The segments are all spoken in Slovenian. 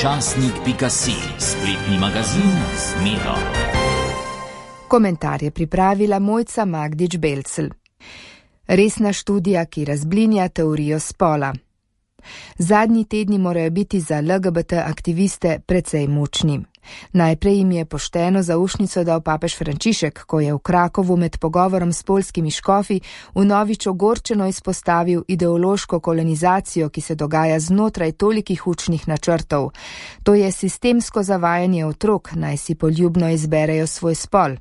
Časnik.si, spletni magazin z Miro. Komentar je pripravila Mojca Magdič-Belcl. Resna študija, ki razblinja teorijo spola. Zadnji tedni morajo biti za LGBT aktiviste precej mučni. Najprej jim je pošteno zaušnico dal papež Frančišek, ko je v Krakovu med pogovorom s poljskimi škofi vnovič ogorčeno izpostavil ideološko kolonizacijo, ki se dogaja znotraj tolikih učnih načrtov. To je sistemsko zavajanje otrok, naj si poljubno izberejo svoj spol.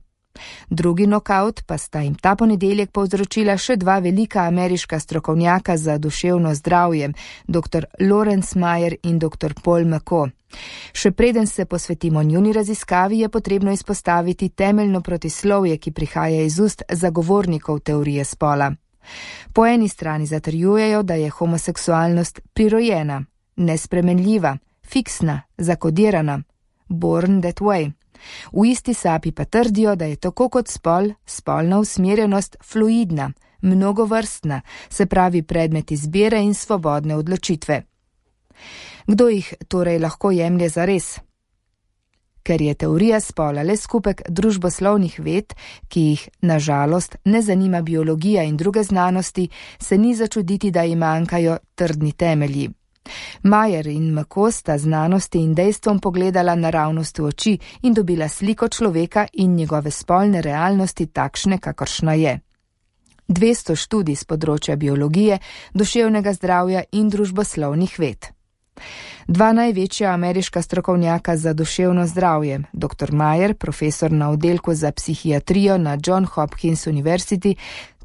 Drugi nokaut pa sta jim ta ponedeljek povzročila še dva velika ameriška strokovnjaka za duševno zdravje, dr. Lawrence Mayer in dr. Paul McCoe. Še preden se posvetimo njuni raziskavi, je potrebno izpostaviti temeljno protislovje, ki prihaja iz ust zagovornikov teorije spola. Po eni strani zatrjujejo, da je homoseksualnost prirojena, nespremenljiva, fiksna, zakodirana, born that way. V isti sapi pa trdijo, da je tako kot spol, spolna usmerjenost fluidna, mnogovrstna, se pravi predmet izbire in svobodne odločitve. Kdo jih torej lahko jemlje zares? Ker je teorija spola le skupek družboslovnih ved, ki jih, na žalost, ne zanima biologija in druge znanosti, se ni začuditi, da jim manjkajo trdni temelji. Mayer in McCoe sta znanosti in dejstvom pogledala naravnost v oči in dobila sliko človeka in njegove spolne realnosti takšne, kakršna je. 200 študij z področja biologije, duševnega zdravja in družboslovnih ved. Dva največja ameriška strokovnjaka za duševno zdravje, dr. Mayer, profesor na oddelku za psihiatrijo na John Hopkins University,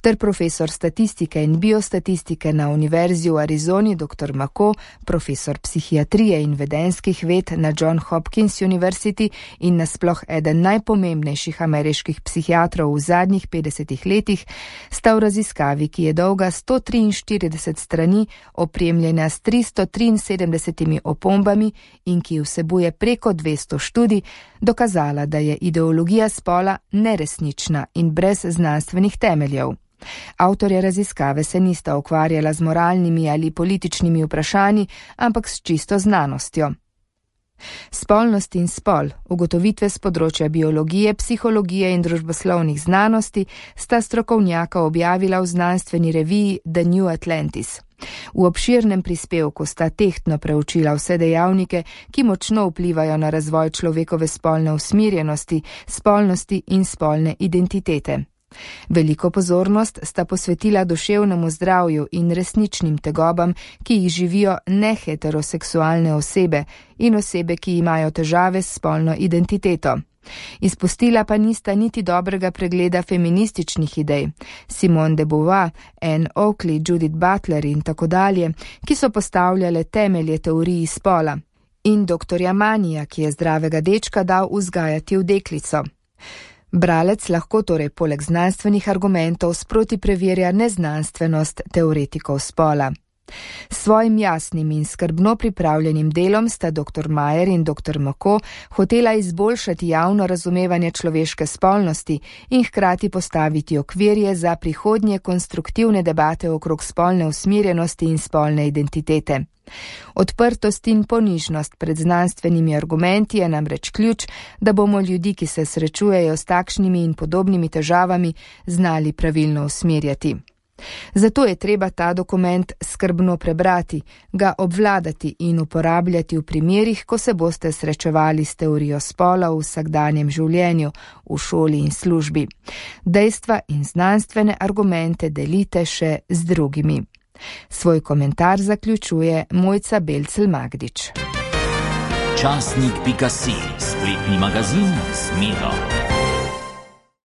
ter profesor statistike in biostatistike na Univerzi v Arizoni dr. McCoe, profesor psihiatrije in vedenskih ved na John Hopkins University in nasploh eden najpomembnejših ameriških psihiatrov v zadnjih 50 letih, sta v raziskavi, ki je dolga 143 strani, opremljena s 373 opombami in ki vsebuje preko 200 študij, dokazala, da je ideologija spola neresnična in brez znanstvenih temeljev. Avtorja raziskave se nista ukvarjala z moralnimi ali političnimi vprašanji, ampak s čisto znanostjo. Spolnost in spol, ugotovitve z področja biologije, psihologije in družboslovnih znanosti, sta strokovnjaka objavila v znanstveni reviji The New Atlantis. V obširnem prispevku sta tehtno preučila vse dejavnike, ki močno vplivajo na razvoj človekove spolne usmerjenosti, spolnosti in spolne identitete. Veliko pozornost sta posvetila duševnemu zdravju in resničnim tegobam, ki jih živijo neheteroseksualne osebe in osebe, ki imajo težave s spolno identiteto. Izpustila pa nista niti dobrega pregleda feminističnih idej, Simone de Beauvoir, Anne Oakley, Judith Butler in tako dalje, ki so postavljale temelje teoriji spola, in doktorja Manija, ki je zdravega dečka dal vzgajati v deklico. Bralec lahko torej poleg znanstvenih argumentov sproti preverja neznanstvenost teoretikov spola. S svojim jasnim in skrbno pripravljenim delom sta dr. Mayer in dr. McCoe hotela izboljšati javno razumevanje človeške spolnosti in hkrati postaviti okvirje za prihodnje konstruktivne debate okrog spolne usmerjenosti in spolne identitete. Odprtost in ponižnost pred znanstvenimi argumenti je namreč ključ, da bomo ljudi, ki se srečujejo s takšnimi in podobnimi težavami, znali pravilno usmerjati. Zato je treba ta dokument skrbno prebrati, ga obvladati in uporabljati v primerih, ko se boste srečevali s teorijo spola v vsakdanjem življenju, v šoli in službi. Dejstva in znanstvene argumente delite še z drugimi. Svoj komentar zaključuje Mojca Belcl-Magdič. Časnik.si, spletni magazin z Miro.